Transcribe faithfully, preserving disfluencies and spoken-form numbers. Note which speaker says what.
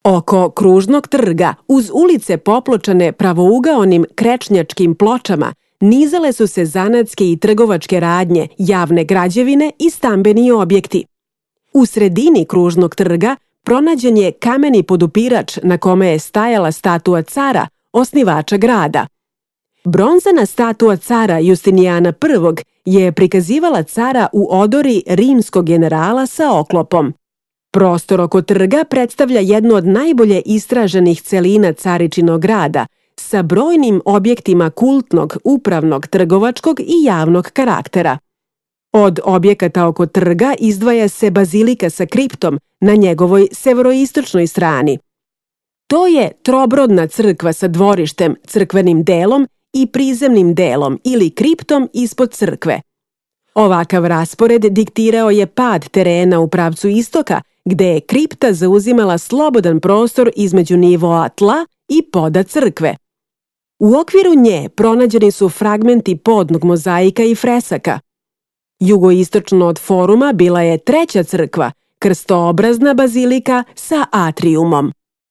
Speaker 1: Oko kružnog trga, uz ulice popločane pravougaonim krečnjačkim pločama, nizale su se zanatske i trgovačke radnje, javne građevine i stambeni objekti. U sredini kružnog trga pronađen je kameni podupirač na kome je stajala statua cara, osnivača grada. Bronzana statua cara Justinijana prvog je prikazivala cara u odori rimskog generala sa oklopom. Prostor oko trga predstavlja jednu od najbolje istraženih celina caričinog grada, sa brojnim objektima kultnog, upravnog, trgovačkog i javnog karaktera. Od objekata oko trga izdvaja se bazilika sa kriptom na njegovoj severoistočnoj strani. To je trobrodna crkva sa dvorištem, crkvenim delom i prizemnim delom ili kriptom ispod crkve. Ovakav raspored diktirao je pad terena u pravcu istoka, gde je kripta zauzimala slobodan prostor između nivoa tla i poda crkve. U okviru nje pronađeni su fragmenti podnog mozaika i fresaka. Jugoistočno od foruma bila je treća crkva, krstoobrazna bazilika sa atrijumom.